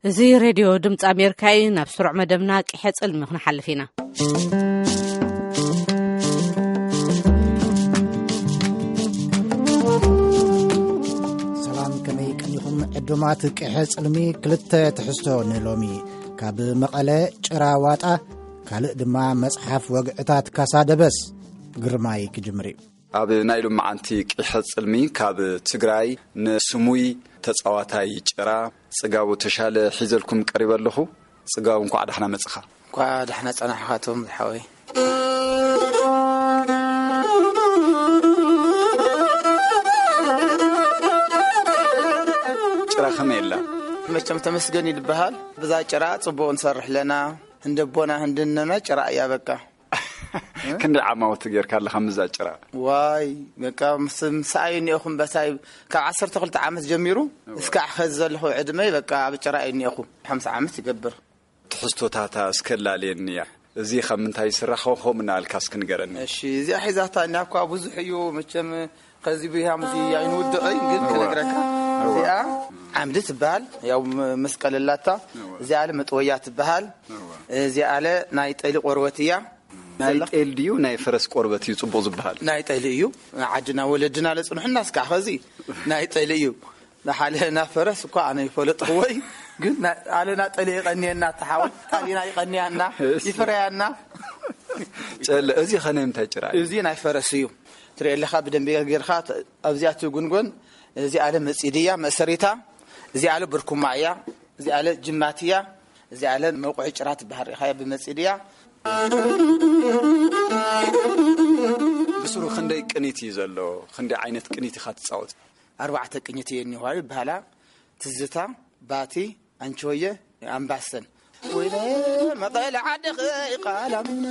እዚ ሬድዮ ድምፂ ኣሜሪካ እዩ። ናብ ስሩዕ መደብና ቅሐ ፅልሚ ክንሓልፍ ኢና። ሰላም፣ ከመይ ቀኒኹም ዕዱማት ቅሐ ጽልሚ? ክልተ ትሕዝቶ ንሎሚ። ካብ መቐለ ጭራ ዋጣ፣ ካልእ ድማ መጽሓፍ ወግዕታት ካሳ ደበስ። ግርማይ ክጅምር እዩ። ኣብ ናይ ሎመዓንቲ ቅሐ ጽልሚ ካብ ትግራይ ንስሙይ ተጻዋታይ ጭራ ጽጋቡ ተሻለ ሒዘልኩም ቀሪበ ኣለኹ። ጽጋቡ፣ እንኳዕ ዳሕና መጽኻ። እንኳዕ ዳሕና ጸናሕኻቶም ዝሓወይ። ጭራ ከመይ ኣላ? መቸም ተመስገን ይልበሃል። ብዛ ጭራ ጽቡቕ ንሰርሕ ኣለና። ህንደቦና ህንድነና ጭራ እያ በቃ። ክንደይ ዓማውቲ ጌርካ ኣለኻ ምዛ ጭራ? ዋይ፣ በቃ ምስ-፣ ምሳይ እኒኦኹም በሳይ ካብ ዓሰርተ ክልተ ዓመት ጀሚሩ እዋ። እስካዕ ኸዚ ዘለኹ ዕድመይ በቃ ኣብ ጭራ እኒኦኹ። ሓምሳ ዓመት ይገብር። ትሕዝቶታታ እስከ ላልየኒ እያ። እዚ ካብ ምንታይ ይስራሕ? ከምኡ እናበልካ እስኪ ንገረኒ። እሺ፣ እዚኣ ሒዛታ እኒኣ እኳ ብዙሕ እዩ መቸም። ከዚ ብያም እዚ ኣይንውድቕን፣ ግን እዋ። ክነግረካ። እዋ። እዚኣ ዓምዲ ትበሃል፣ ያው ም-፣ መስቀል ኣላታ። እዋ። እዚኣ ኣለ መጥወያ ትበሃል። እዋ። እዚኣ ኣለ ናይ ጠሊ ቆርበት እያ። ናይ ዘላ ጤል ድዩ ናይ ፈረስ ቆርበት እዩ ጽቡቕ ዝበሃል? ናይ ጠሊ እዩ። ዓድና ወለድና ለጽንሑና እስካዕ ኸዚ ናይ ጠሊ እዩ። ንሓለ ናብ ፈረስ እኳ ኣነ ይፈለጥኽዎ እዩ፣ ግን ና-፣ ኣለ ናጠሊ ይቐንየና፣ ተሓወል ጣሊና ይቐንያና፣ እሺ። ይፍረያና። ጨለ፣ እዚ ኸ ናይ ምንታይ ጭራ እዩ? እዚ ናይ ፈረስ እዩ። ትሪኦ ኣለኻ ብደንቢ ጌርካ ተ-፣ ኣብዚኣ ትጉንጎን፣ እዚ ኣለ መጺድ እያ፣ መእሰሪታ፣ እዚ ኣለ ብርኩማ እያ፣ እዚ ኣለ ጅማት እያ፣ እዚ ኣለ መውቕዒ ጭራ ትበሃል ርኢኻያ ብመጺድ እያ። ብስሩ ክንደይ ቅኒት እዩ ዘሎ? ክንደይ ዓይነት ቅኒት ኢኻ ትጻወት? ኣርባዕተ ቅኝት እየ እኒሆ ይበሃላ። ትዝታ፣ ባቲ፣ ኣንቺሆየ፣ ኣምባሰል። ወይነ መቐለ ዓድኺ ቃላሚነ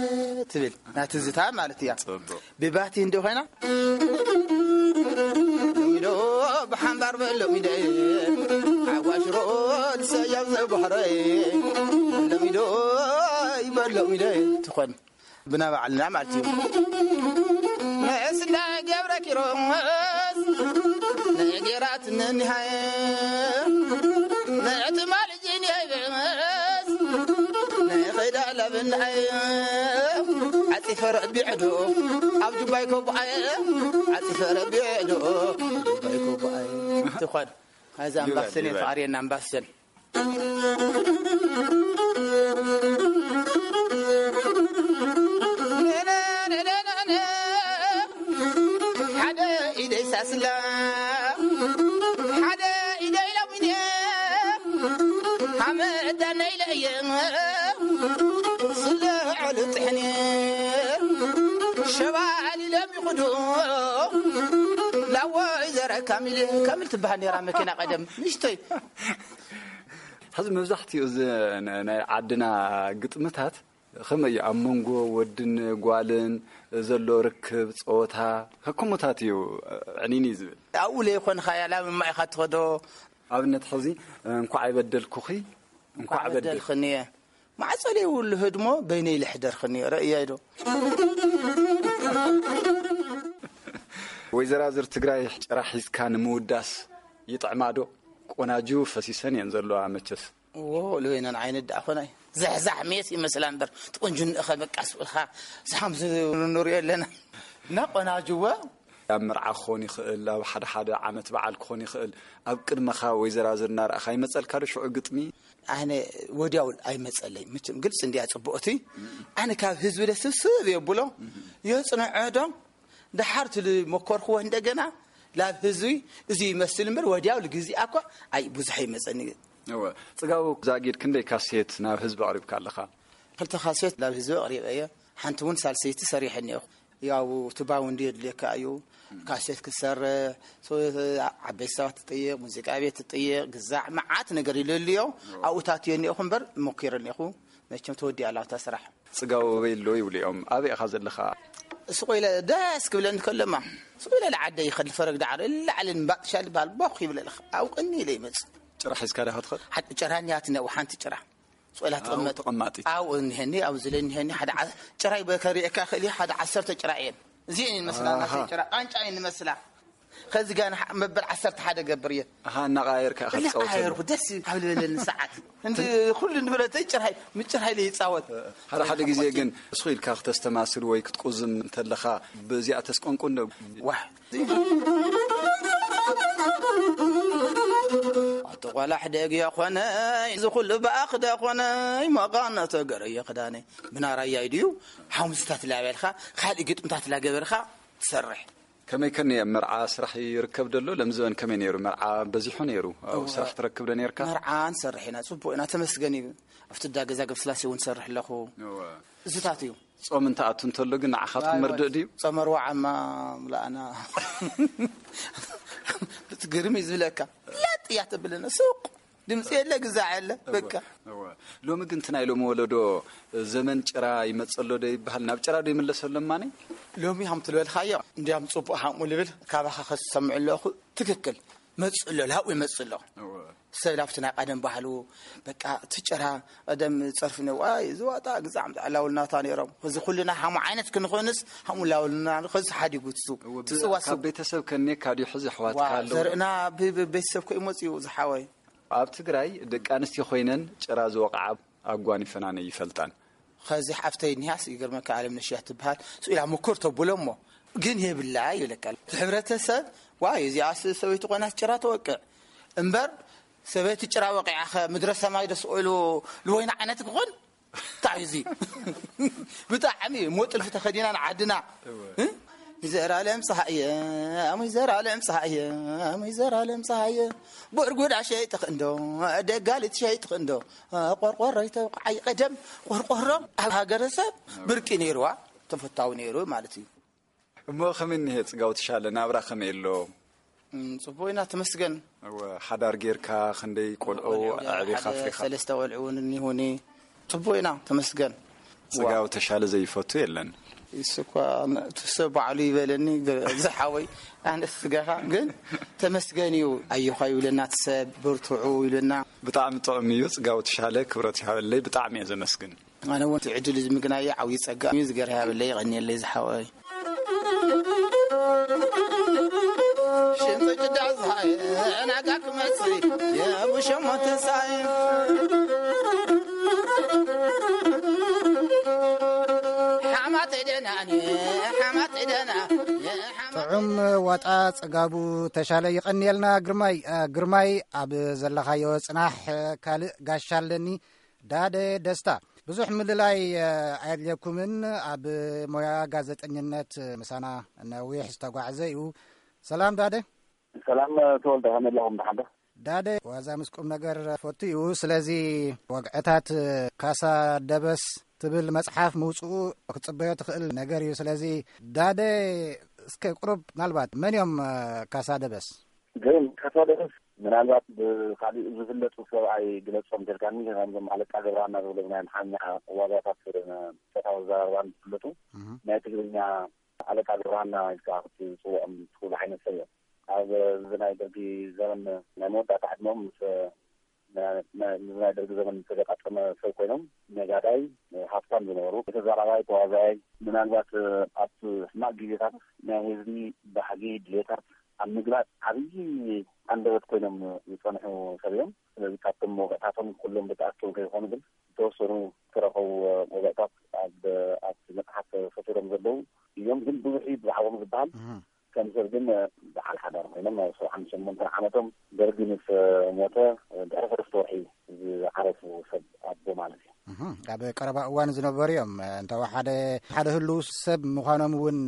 ትብል ናይ ትዝታ ማለት እያ። ጽቡቕ። ብባቲ እንዲ ኮይና፣ ሎሚዶ ብሓምባር በሎሚደ፣ ሓዋሽሮ ሰያብ ዘባህረ፣ ሎሚዶ ይበሎሚደ ትኾን። ብና ባዕልና ማለት እዩ። ንዕስለ ገብረ ኪሮስ ንጌራት ንኒሃየ ንዕትማል ጂንያይበስ ንኸይዳ ለብናየ ዓፂፈ ረቢዕዶ ኣብ ጁባይ ኮቦኣየ ዓፂፈ ረቢዕዶ ጁባይ ኮቦኣየ ትኾን። እዚ ጁባይ፣ ኣምባሰል ጁባይ። ተኣርየና ኣምባሰል። ሓደ ኢደይ ሳስላ፣ ሓደ ኢደይ ሎሚኔ፣ ሃመዳ ናይ ለእየ፣ ስለ ዐሉ ጥሕኔ፣ ሸባሊ ለሚኹዶ፣ ላወይ ዘረ ካሚል፣ ካሚል ትበሃል ነይራ መኪና ቀደም፣ ንእሽተይ። ሕዚ መብዛሕትኡ እዚ ን-፣ ናይ ዓድና ግጥምታት ከመይ እዩ? ኣብ መንጎ ወድን ጓልን ዘሎ ርክብ፣ ጸወታ፣ ከከሞታት እዩ ዕኒኒ ዝብል። ኣብኡ ለይኮንኻያ ላብ ማይ ኢኻ ትኸዶ። ኣብነት ሕዚ፣ "እንኳዕ ኣይበደልኩኺ፣ እንኳዕ እንኳዕ በደል-" በደልኽኒ እየ። ማዕጾ ለይብሉ ህድሞ በይነይ ልሕደርኽኒ እየ። ረእያይ ዶ? ወይዘራዝር ትግራይ ጭራ ሒዝካ ንምውዳስ ይጥዕማ ዶ? ቆናጁ ፈሲሰን እየን ዘለዋ መቸስ። እዎ፣ ልበይነን ዓይነት ደኣ ኾናይ። ዘሕዛሕ ሜስ ይመስላ እምበር፣ ትቁንጅንእኸ በቃ ስብልኻ፣ ሳም ዝንሪኦ ኣለና። እና ቆናጅወ። ኣብ መርዓ ክኾን ይኽእል፣ ኣብ ሓደ ሓደ ዓመት በዓል ክኾን ይኽእል። ኣብ ቅድመኻ ወይዘራዝር እናረኣኻ ይመጸልካ ዶ ሽዑ ግጥሚ? ኣነ ወዲያው ኣይመጸለይ። መቸም ግልጽ እንዲያ ጽቡቕቲ። ኣነ ካብ ህዝቢ ደስብስብ የብሎ። የጽንዖ ዶ? ደሓር ትልመኮርክዎ እንደገና ላብ ህዝቢ እዚ ይመስል እምበር ወዲያው ልግዜኣ እኳ ኣይ ብዙሕ ይመጸኒ። እወ። ጽጋቡ ዛጊድ ክንደይ ካሴት ናብ ህዝቢ ኣቕሪብካ ኣለኻ? ክልተ ካሴት ናብ ህዝቢ ኣቕሪበ እየ። ሓንቲ እውን ሳልሰይቲ ሰሪሐ እኒኦ። ያው እቲ ባውንዲ የድልየካ እዩ። ካሴት ክትሰርሕ፣ ሶ-፣ ዓበይቲ ሰባት ትጥይቕ፣ ሙዚቃ ቤት ትጥይቕ፣ ግዛዕ መዓት ነገር ይለልዮ። ኣብኡ ታትዮ እኒኦኹ እምበር ሞኪረ እኒኦኹ። መቸም ተወዲኣ ኣላ እታ ስራሕ። ጽጋቡ ኣበይ ኣሎ ይብሉ እዮም። ኣበይ ኢኻ ዘለኻ? ስቕ ኢለ ደስ ክብለኒ ከሎማ፣ ስቕ ኢለ ልዓደይ ይኸድ ልፈረግ ዳዕሮ፣ ላዕሊ ንባጥሻ ልበሃል ቦኽ ይብለልኻ። ኣብ ቅኒ ኢለ ይመጽእ። ጭራ ሒዝካ ዲኻ ትኸድ? ሓ-፣ ጭራ እኒኣትኒ ኣብኡ ሓንቲ ጭራ። ስቕ ኢላ ኣብኡ ትቕመጥ። ተቐማጢት። ኣብኡ እኒሀኒ፣ ኣብዚ ኢለ እኒሀኒ፣ ሓደ ዓ-፣ ጭራይ በከሪኤካ ክእል እዩ፣ ሓደ ዓሰርተ ጭራ እየን። እዚአን ይመስላ፣ ኣሃ። ናተይ ጭራ፣ ቃንጫ እየን ይመስላ። ከዚ ጋር መበል ዓሰርተ ሓደ ገብር እየ። ኣሃ፣ እናቐያየርካ ኢኻ ትጻወተሉ። እናቐያየርኩ ደስ ካብ ዝበለኒ ሰዓት። እንዲ ኩሉ ንብረተይ ጭርሃይ፣ ምጭርሃይ ኢለ ይጻወት። ሓደ ሓደ ግዜ ግን እሱ ኢልካ ክተስተማስል ወይ ክትቁዝም እንተለኻ፣ ብዚኣ ተስቆንቁን ዶ? ዋሕ። ኣቲ ቆላሕ ደግ የኾነይ፣ እዚ ኩሉ ብኣኽ ደኾነይ፣ መቓን ተገረየ ክዳነይ። ብናራያይ ድዩ? ሓሙስታት ላበልካ፣ ካልእ ግጥምታት ላገበርካ ትሰርሕ። ከመይ ከኒ ኣብ መርዓ ስራሕ ይርከብ ደሎ? ለምዝበን ከመይ ነይሩ? መርዓ በዚሑ ነይሩ። ኣብ እወ። ስራሕ ትረክብ ዶ ነይርካ? መርዓ ንሰርሕ ኢና፣ ጽቡቕ ኢና፣ ተመስገን እዩ። ኣብቲ ዳ ገዛ ገብስላሴ እውን ሰርሕ ኣለኹ። እወ። እዚታት እዩ። ጾም እንተ ኣቱ እንተሎ ግን ንዓኻትኩም ኣይ፣ መርድእ ድዩ? ጾመ ኣርብዓ እማ ምላእና። ብትግርም እዩ ዝብለካ። ለጥ እያ ተብለና፣ ሱቕ። ድምፂ የለ፣ ግዛዕ የለ፣ እወ፣ በቃ። እወ። ሎሚ ግን እቲ ናይ ሎሚ ወለዶ ዘመን ጭራ ይመጸሎ ዶ ይበሃል? ናብ ጭራ ዶ ይምለሰሎ እማኒ? ሎሚ ሃም ትልበልካዮ፣ እንዲያም ጽቡቕ ሃምኡ ልብል፣ ካባኻ ከዝሰምዕ ኣለኹ፣ ትክክል። መጽእ ኣሎ፣ ላብኡ ይመጽእ ኣሎ። እወ። ሰብ ላብቲ ናይ ቀደም ባህሉ፣ በቃ፣ እቲ ጭራ፣ ቀደም ጸርፊ ነዋ፣ እዚ ዋጣ ግዛዕ ምጣ ላውልናታ ነይሮም። እዚ ኩልና ሃሙ ዓይነት ክንኾንስ፣ ሃሙ ላውልና፣ ከዚ ሓዲጉ ትሱ፣ እወ፣ ትጽዋ ካብ ሱ። ቤተሰብ ከኔካ ድዩ ሕዚ ኣሕዋትካ ዋ፣ ኣለዉ? ዘርእና ብ-፣ ብ-፣ ቤተሰብ ኮይ መጽኡ ዝሓወይ። ኣብ ትግራይ ደቂ ኣንስትዮ ኮይነን ጭራ ዝወቕዓ ኣጓኒፈናን ይፈልጣን። ኸዚ ሓፍተይ እኒሃስ ይገርመካ፣ ኣለምነሽ እያ ትበሃል። ስኢላ ምኩር ተብሎ እሞ ግን የብላ ይብለካ። እቲ ሕብረተሰብ ዋይ እዚኣስ ሰበይቲ ኮይናስ ጭራ ተወቅዕ እምበር ሰበይቲ ጭራ ወቂዓ ኸ ምድረ ሰማይ ዶ ስቕ ኢሉ ልወይና ዓይነት ክኾን? እንታይ እዩ እዚ? ብጣዕሚ እሞ ጥልፊ ተኸዲና ንዓድና። እወ። እ? ይዘራለም ፀሃየ፣ ኣሙይ ዘራለም ፀሃየ፣ ኣሙይ ዘራለም ፀሃየ። ጎርጎዳ ሸይጥኽ እንዶ፣ ደጋሊት ሸይጥኽ እንዶ፣ ቆርቆሮ ይተውቃዓይ። ቀደም ቆርቆሮ ኣብ ሃገረሰብ ብርቂ ነይርዋ፣ ተፈታዊ ነይሩ ማለት እዩ። እሞ ከመይ እኒሄ ጽጋው ትሻለ፣ ናብራ ከመይ ኣሎ? እም፣ ጽቡቕ ኢና፣ ተመስገን። እወ፣ ሓዳር ጌርካ ክንደይ ቆልዑ ቆልዑ ጌረ ኣዕቢኻ ሓደ ኣፍሪኻ? ሰለስተ ቆልዑ እውን እኒሁኒ። ጽቡቕ ኢና፣ ተመስገን። ጽጋው ዋ። ተሻለ ዘይፈቱ የለን። እሱ እኳ ን-፣ እቲ ሰብ ባዕሉ ይበለኒ፣ ገ-፣ ዝሓወይ፣ ኣነ ስጋኻ ግን ተመስገን እዩ። ኣየዃ ይብለና፣ እቲ ሰብ በርትዑ ይብለና። ብጣዕሚ ጥዑም እዩ። ጽጋው ተሻለ ክብረት ይሃበለይ። ብጣዕሚ እየ ዘመስግን። ኣነ እውን እቲ ዕድል እዚ ምግናየ ዓብዪ ጸጋ እዩ። ዝገር ይሃበለይ፣ የቐንየለይ ዝሓወይ። ሽንፈጭ ዳዛይ ናጋ ክመጽእ የብሸሞ ተንሳይ። ሓማት ደናኒ፣ ሓማት ደና፣ ጥዑም ዋጣ ጽጋቡ ተሻለ። ይቐንየልና ግርማይ። እ፣ ግርማይ፣ ኣብ ዘለኻዮ ጽናሕ። እ፣ ካልእ ጋሻ ኣለኒ። ዳደ ደስታ፣ ብዙሕ ምልላይ፣ እ፣ ኣየድልየኩምን። ኣብ ሞያ ጋዜጠኝነት ምሳና ነዊሕ ዝተጓዕዘ እዩ። ሰላም ዳደ። ሰላም ተወልደ፣ ከመይ ኣለኹም? ደሓን ዶ? ዳደ ዋዛ ምስ ቁም ነገር ፈቱ እዩ። ስለዚ ወግዕታት ካሳ ደበስ ትብል መጽሓፍ ምውጽኡ ክትጽበዮ ትኽእል ነገር እዩ። ስለዚ ዳደ፣ እስከ ቁሩብ ምናልባት መን እዮም፣ እ፣ ካሳ ደበስ? ግን ካሳ ደበስ ምናልባት ብኻሊእ ዝፍለጡ ሰብ ኣይግለጾም ተልካኒ፣ ከምዞም ኣለቃ ገብረሃና ዝብሎም ናይ ኣምሓርኛ ዋዛታት፣ እ፣ ጾታዊ ኣዘራርባን ዝፍለጡ፣ እህ። ናይ ትግርኛ ኣለቃ ገብረሃና ኢልካ ክትጽውዖም ትኽእሉ ዓይነት ሰብ እዮም። ኣብ፣ እ፣ እዚ ናይ ደርጊ ዘመን ናይ መወዳእታ ዕድመኦም ምስ፣ እ፣ ና-፣ ና-፣ ምስ ናይ ደርጊ ዘመን ዝተገጣጠመ ሰብ ኮይኖም፣ ነጋዳይ፣ እ፣ ሃብታም ዝነበሩ፣ ተዛራባይ፣ ተዋዛያይ፣ ምናልባት፣ እ፣ ኣብ ሕማቕ ግዜታት ናይ ህዝቢ ባህጊ፣ ድሌታት ኣብ ምግላጽ ዓብዪ ኣንደበት ኮይኖም ዝጸንሑ ሰብ እዮም። ስለዚ ካብቶም መውቅዕታቶም ኩሎም ብተኣኪቦም ከይኾኑ ግን ዝተወሰኑ ዝተረኸቡ መውቅዕታት ኣብ፣ ኣብቲ መጽሓፍ ሰፊሮም ዘለዉ እዮም። ግን ብዙሕ እዩ ብዛዕባኦም ዝበሃል። እህ። ከም ሰብ ግን በዓል ሓዳር ኮይኖም ኣብ ሰብዓን ሸሞንተን ዓመቶም ደርጊ ምስ ሞተ ድሕሪ ሰለስተ ወርሒ ዝዓረፉ ሰብ ኣቦ ማለት እዩ። እህ፣ ኣብ ቀረባ እዋን ዝነበሩ እዮም። እንተወሓደ ሓደ ህልው ሰብ ምዃኖም እውን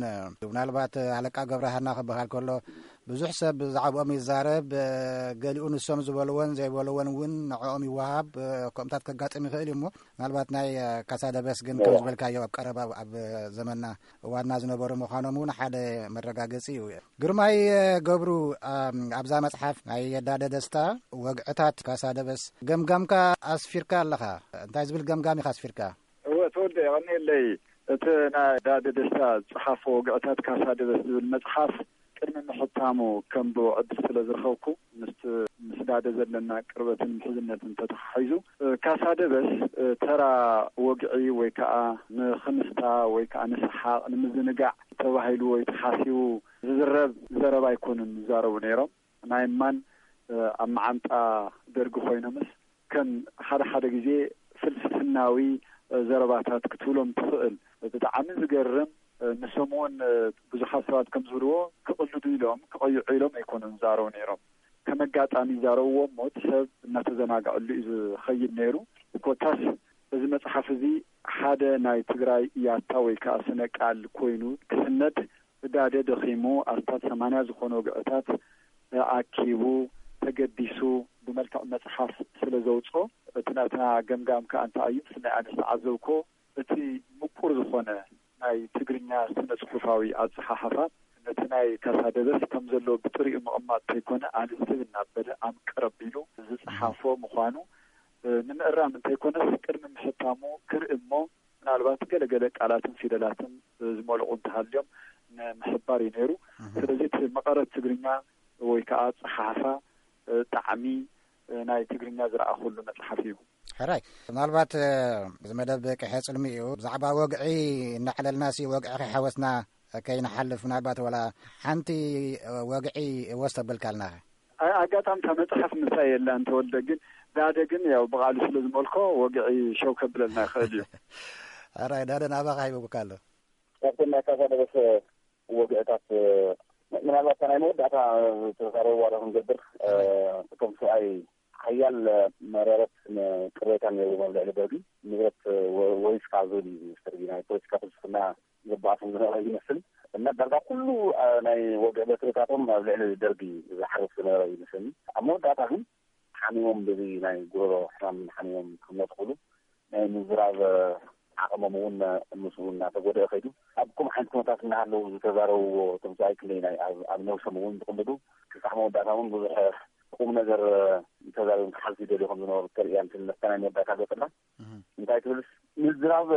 ምናልባት ኣለቃ ገብረሃና ክበሃል ከሎ ብዙሕ ሰብ ብዛዕባኦም ይዛረብ። ገሊኡ ንሶም ዝበልዎን ዘይበልዎን እውን ንዕኦም ይወሃብ። ከምኡታት ከጋጥም ይኽእል እዩ እሞ ምናልባት ናይ ካሳ ደበስ ግን ከም ዝበልካዮ ኣብ ቀረባ ኣብ ዘመንና እዋንና ዝነበሩ ምዃኖም እውን ሓደ መረጋገጺ እዩ። ግርማይ ገብሩ፣ ኣብዛ መጽሓፍ ናይ የዳደ ደስታ ወግዕታት ካሳ ደበስ ገምጋምካ ኣስፊርካ ኣለኻ። እንታይ ዝብል ገምጋም ኢኻ ኣስፊርካ? እወ፣ ተወልደ፣ የቐንየለይ። እቲ ናይ ዳደ ደስታ ዝጸሓፎ ወግዕታት ካሳ ደበስ ዝብል መጽሓፍ ቅድሚ ምሕታሙ ከንብቦ ዕድል ስለ ዝረኸብኩ፣ ምስቲ ምስ ዳደ ዘለና ቅርበትን ምሕዝነትን ተተሓሒዙ፣ እ፣ ካሳ ደበስ፣ እ፣ ተራ ወግዒ ወይ ከዓ ንኽንስታ ወይ ከዓ ንሰሓቕ፣ ንምዝንጋዕ ተባሂሉ ወይ ተሓሲቡ ዝዝረብ ዘረባ ኣይኮኑን ዝዛረቡ ነይሮም። ናይ እማን፣ እ፣ ኣብ መዓንጣ ደርጊ ኮይኖምስ ከም ሓደ ሓደ ግዜ ፍልስፍናዊ፣ እ፣ ዘረባታት ክትብሎም ትኽእል። ብጣዕሚ ዝገርም፣ እ፣ ንሶም እውን፣ እ፣ ብዙሓት ሰባት ከም ዝብልዎ ክቕልዱ ኢሎም፣ ክቐይዑ ኢሎም ኣይኮኑን ዝዛረቡ ነይሮም። ከም ኣጋጣሚ ይዛረብዎ እሞ እቲ ሰብ እናተዘናግዐሉ እዩ ዝኸይድ ነይሩ። ኮታስ እዚ መጽሓፍ እዚ ሓደ ናይ ትግራይ ያታ ወይ ከዓ ስነ ቃል ኮይኑ ክስነድ ብዳደ ደኺሙ ኣስታት ሰማንያ ዝኾኑ ወግዕታት ኣኪቡ ተገዲሱ ብመልክዕ መጽሓፍ ስለ ዘውፅኦ፣ እቲ ናትና ገምጋም ከዓ እንታይ እዩ፣ ብፍላይ ኣነ ዝተዓዘብኮ እቲ ምቁር ዝኾነ ናይ ትግርኛ ስነ ጽሑፋዊ ኣጸሓሕፋ ነቲ ናይ ካሳ ደበስ ከም ዘሎ ብጥሪኡ ምቕማጥ እንተይኮነ፣ ኣነ ሰብ እናበለ ኣምቅር ኣቢሉ ዝጸሓፎ ምዃኑ፣ እ፣ ንምእራም እንተይኮነስ ቅድሚ ምሕታሙ ክርኢ እሞ ምናልባት ገለገለ ቃላትን ፊደላትን፣ እ፣ ዝመልቑ እንተሃልዮም ንምሕባር እዩ ነይሩ። እህ። ስለዚ እቲ መቐረት ትግርኛ ወይ ከዓ ኣጸሓሕፋ፣ እ፣ ጣዕሚ፣ እ፣ ናይ ትግርኛ ዝረኣኹሉ መጽሓፍ እዩ። ሕራይ፣ ምናልባት፣ እ፣ እዚ መደብ ቅሐ ጽልሚ እዩ። ብዛዕባ ወግዒ እናዕለልናሲ ወግዒ ከይሓወስና ከይንሓልፍ፣ ምናልባት ዋላ ሓንቲ፣ እ፣ ወግዒ ወስ ተበልካልና። ኣይ፣ ኣጋጣሚ እታ መጽሓፍ ምሳይ የላን ተወልደ፣ ግን ዳደ ግን ያው ብቓሉ ስለ ዝመልኮ ወግዒ ሸው ከብለልና ይኽእል እዩ። ሕራይ፣ ዳደ ናባኻ ሂበኩካ ኣሎ። ካብቶም ናይ ካሳ ደበስ ወግዕታት፣ እ፣ ምናልባት እታ ናይ መወዳእታ ዝተዛረብዋ ዶ ክንገብር፣ እ፣ እቶም ሰብኣይ ሓያል መረረት ቅሬታ ነይሩ ኣብ ልዕሊ ደርጊ። ንብረት ወ-፣ ወሪስካ ዝብል እዩ ዝመስል፣ ናይ ፖለቲካ ፍልስፍና ዘባእሶም ዝነበረ ይመስል። እና ዳርጋ ኩሉ፣ እ፣ ናይ ወግዒ በትርታቶም ኣብ ልዕሊ ደርጊ ዝሓርፍ ዝነበረ ይመስለኒ። ኣብ መወዳእታ ግን ሓሚሞም፣ በዚ ናይ ጉሮሮ ሕማም ሓሚሞም ክሞቱ ክብሉ ናይ ምዝራብ ዓቕሞም እውን ምስኡ እናተጎደአ ከይዱ። ኣብ ከምኡ ዓይነት ኩነታት እናሃለዉ ዝተዛረብዎ እቶም ሰብኣይ ክንደይ ናይ ኣብ፣ ኣብ ነብሶም እውን ዝቕልዱ፣ ክሳዕ መወዳእታ እውን ብዙሕ ቁም ነገር ተዛሪቦም ክሓልፉ ይደልዩ ከም ዝነበሩ ተርእያ። ንስለ ነፍታ ናይ መወዳእታ ገጽና እህ። እንታይ ትብልስ፣ ምዝራብ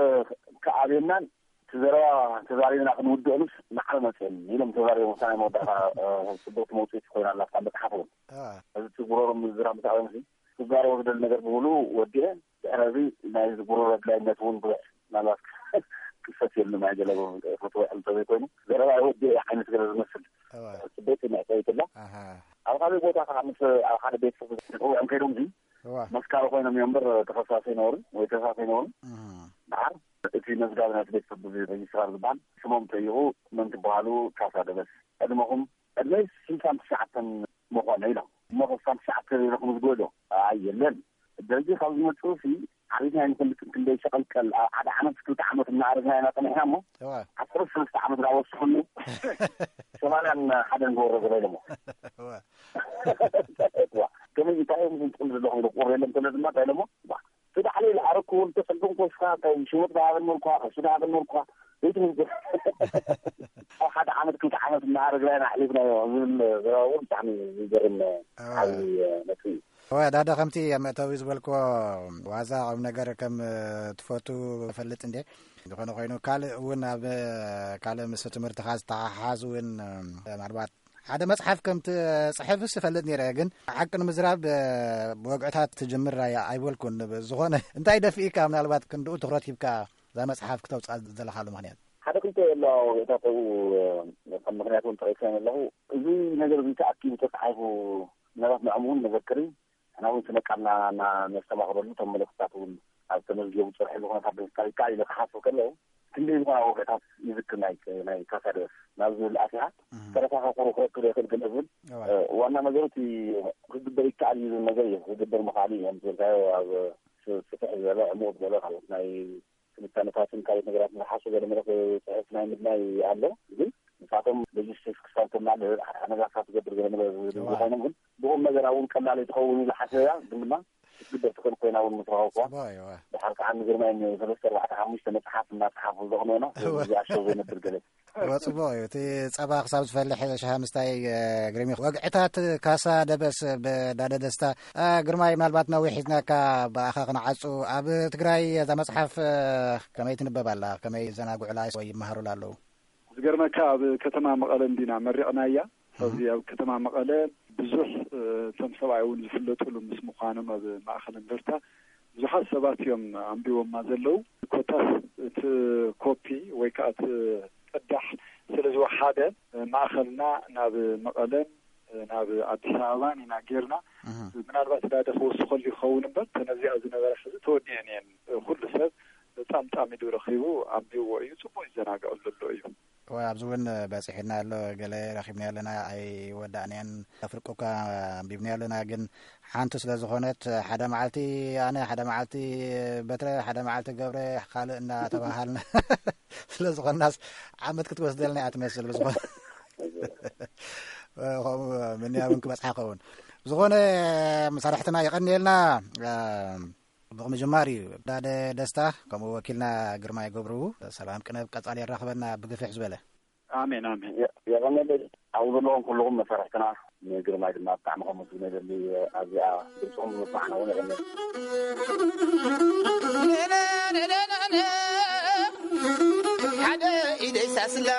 ክኣብየናን እቲ ዘረባ ተዛሪብና ክንውድኦምስ ማዕረ መጽኦም ኢሎም ተዛሪቦም። እታ ናይ መወዳእታ፣ እ፣ ጽብቕቲ መውጽኢት ኮይና ኣላ ኣብታ መጽሓፍ እውን። እዋ። እዚ እቲ ጉሮሮ ምዝራብ ምስ ኣበምሲ ክዛረቦ ዝደሊ ነገር ብምሉኡ ወዲአ። ድሕሪ እዚ ናይ እዚ ጉሮሮ ኣድላይነት እውን ብዙሕ ምናልባት ክፈት የሉ ናይ ገለ ፈትወ እንተዘይኮይኑ፣ ዘረባ ወዲአ ዓይነት ገለ ዝመስል እዋ። ጽብቕቲ መዕጸዊት ኣላ። ኣሃ። ኣብ ካልእ ቦታ ከዓ ምስ ኣብ ሓደ ቤት ጽሕፈት ውዕም ከይዶም እዚ እዋ። መስካሪ ኮይኖም እዮም እምበር ተኸሳሲ ኣይነበሩን ወይ ተሳሲ ኣይነበሩን። እህ። ደሓር እቲ መዝጋቢ ናይቲ ቤት ፍርዲ እዚ ሬጅስትራር ዝበሃል ስሞም ጠይቑ፣ መን ትበሃሉ? ካሳ ደበስ። ዕድመኹም? ዕድመይ ስልሳን ትሽዓተን ምኾነ ኢሎም። እሞ ስልሳን ትሽዓተ ኢለኹም ዝጎዶ? ኣይ የለን። ደርጊ ካብ ዝመጽኡ ሲ ዓቢትና ኣይንፈልጥን፣ ክንደይ ሸቐልቀል፣ ኣብ ሓደ ዓመት ክልተ ዓመት እናኣረግና ኢና ጸኒሕና እሞ እዋ። ዓሰርተ ሰለስተ ዓመት እናወሰኹሉ ሰማንያን ሓደን ክወረዱ ኢሎሞ። እዋ። እዋ። ከመይ እንታይ እዮም ዝንጥሉ ዘለኹም ኢለ ቁር የለን ተለ ድማ እንታይ ኢሎሞ? ዋ። እቲ ዳሕለይ ዝዓረግኩ እውን ተጸገምኩ ወስኻ እንታይ ሽወጥ ዳሃበን መልኳ፣ ቅርሺ ዳሃበን መልኳ፣ ዘይትምንዝር። ኣብ ሓደ ዓመት ክልተ ዓመት እናኣረግና ኢና ኣሕሊፍናዮ ዝብል ዘረባ እውን ብጣዕሚ ዝገርም እዋ። ዓብዪ ነጥቢ እዩ። እዋ፣ ዳደ ከምቲ ኣብ መእተዊ ዝበልክዎ ዋዛ ቁም ነገር ከም ትፈቱ እፈልጥ እንዴ። ዝኾነ ኮይኑ ካልእ እውን ኣብ ካልእ ምስ ትምህርትኻ ዝተሓሓዝ እውን ምናልባት ሓደ መጽሓፍ ከም ትጽሕፍስ እፈልጥ ነይረ፣ ግን ሓቂ ንምዝራብ ብወግዕታት ትጅምር ኣይ-፣ ኣይበልኩን። ዝኾነ እንታይ ደፊእካ ምናልባት ክንድኡ ትኹረት ሂብካ እዛ መጽሓፍ ክተውጽኣ ዘለኻሉ ምኽንያት? ሓደ ክልተ ኣለዋ ወግዕታት ኣብኡ ከም ምኽንያት እውን ጠቒሰ ኣለኹ። እዚ ነገር እዚ ተኣኪቡ ተጻሒፉ ምናልባት ንዕኡ እውን መዘክሪ ንሕና እውን ስነ ቃልና እና-፣ ነስተማቕረሉ እቶም መልእኽትታት እውን ኣብ ተመዝገቡ ዝጸንሐሉ ኩነታት ብምፍጣር ይከኣል ኢለ ክሓስብ ከለኹ፣ ክንደይ ዝኾና ወግዕታት ይዝክር ናይ፣ ናይ ካሳ ደበስ ናብ ዝብል ኣቲኻ፣ እህ። ተረፋ ከቁሩ ክረክብ ይኽእል ገለ ዝብል፣ እዋ። እ፣ ዋና ነገሩ እቲ ክግበር ይከኣል እዩ ዝብል ነገር እዩ፣ ክግበር ምኽኣል እዩ። ከም ዝበልካዮ ኣብ ስ-፣ ስፍሕ ዝበለ፣ ዕሙቕ ዝበለ ካልኦት ናይ ትንታነታትን ካልኦት ነገራትን ዝሓሱ ገለ መለ ክጽሕፍ ናይ ምድላይ ኣሎ። ግን ንሳቶም ሎጂስቲክስ ክሳብ ተማልእ ኣነጋሳ ትገብር ገለ መለ ዝብል እዋ። ዝኾይኖም ግን ብቑም ነገር እውን ቀላል ኣይትኸውን ኢለ ሓሰበያ። ግን ድማ ክትግበር ትኽእል ኮይና እውን ምስ ረኸብኩዋ። ጽቡቕ እዩ፣ እዋ። ድሓር ከዓ ንግርማይ ሰለስተ ኣርባዕተ ሓሙሽተ መጽሓፍ እናጸሓፉ ዘቕንዑና እዋ። እዚ ኣሸው ዘነብር ገለ። እዋ፣ ጽቡቕ እዩ። እቲ ጸባ ክሳብ ዝፈልሕ ሻሂ ምስታይ፣ እ፣ ግርም እዩ። ወግዕታት ካሳ ደበስ ብዳደ ደስታ። እ፣ ግርማይ፣ ምናልባት ነዊሕ ሒዝናካ ብኣኻ ክንዓጹ። ኣብ ትግራይ እዛ መጽሓፍ፣ እ፣ ከመይ ትንበብ ኣላ? ከመይ ዘናግዑላ ወይ ይመሃሩላ ኣለዉ? ዝገርመካ ኣብ ከተማ መቐለ እንዲና መሪቕናያ። ኣብዚ ኣብ ከተማ መቐለ ብዙሕ፣ እ፣ እቶም ሰብኣይ እውን ዝፍለጡሉ ምስ ምዃኖም ኣብ ማእኸል እንደርታ ብዙሓት ሰባት እዮም ኣንቢቦማ ዘለዉ። ኮታስ እቲ ኮፒ ወይ ከዓ እቲ ቅዳሕ ስለ ዝወሓደ፣ እ፣ ማእኸልና ናብ መቐለን፣ እ፣ ናብ ኣዲስ ኣበባን ኢና ጌርና። እህ። ምናልባት ዳደ ክወስኸሉ ይኸውን እምበር፣ እተን ኣብዚኣ ዝነበራ ሕዚ ተወዲአን እየን። ኩሉ ሰብ ጻምጻሚዱ ረኺቡ ኣንቢብዎ እዩ። ጽቡቕ ይዘናግዐሉ ኣሎ እዩ። ወይ ኣብዚ እውን በጺሑና ኣሎ፣ ገለ ረኺብና ኣለና፣ ኣይወዳእናያን። ኣፍርቁካ ኣንቢብና ኣለና፣ ግን ሓንቲ ስለ ዝኾነት፣ ሓደ መዓልቲ ኣነ፣ ሓደ መዓልቲ በትረ፣ ሓደ መዓልቲ ገብረ፣ ካልእ እናተባሃልና ስለ ዝኾንናስ ዓመት ክትወስደልና እያ ትመስል። ብዝኾነ ከምኡ ምንያብን ክበጽሓ ኸውን። ብዝኾነ መሳርሕትና የቐንየልና። ብቕሚ ጅማር እዩ። ዳደ ደስታ፣ ከምኡ ወኪልና ግርማይ ገብሩ። ሰላም ቅነ፣ ኣብ ቀጻሊ የራኽበና ብግፍሕ ዝበለ። ኣሜን፣ ኣሜን። የ-፣ የቐንየለይ። ኣብኡ ዘለኹም ኩልኹም መሳርሕትና፣ ንግርማይ ድማ ብጣዕሚ ከመስግኖ ይደሊ። ኣብዚኣ ድምፅኹም ብምስማዕና እውን የቐንየለይ። ሓደ ኢደይ ሳስላ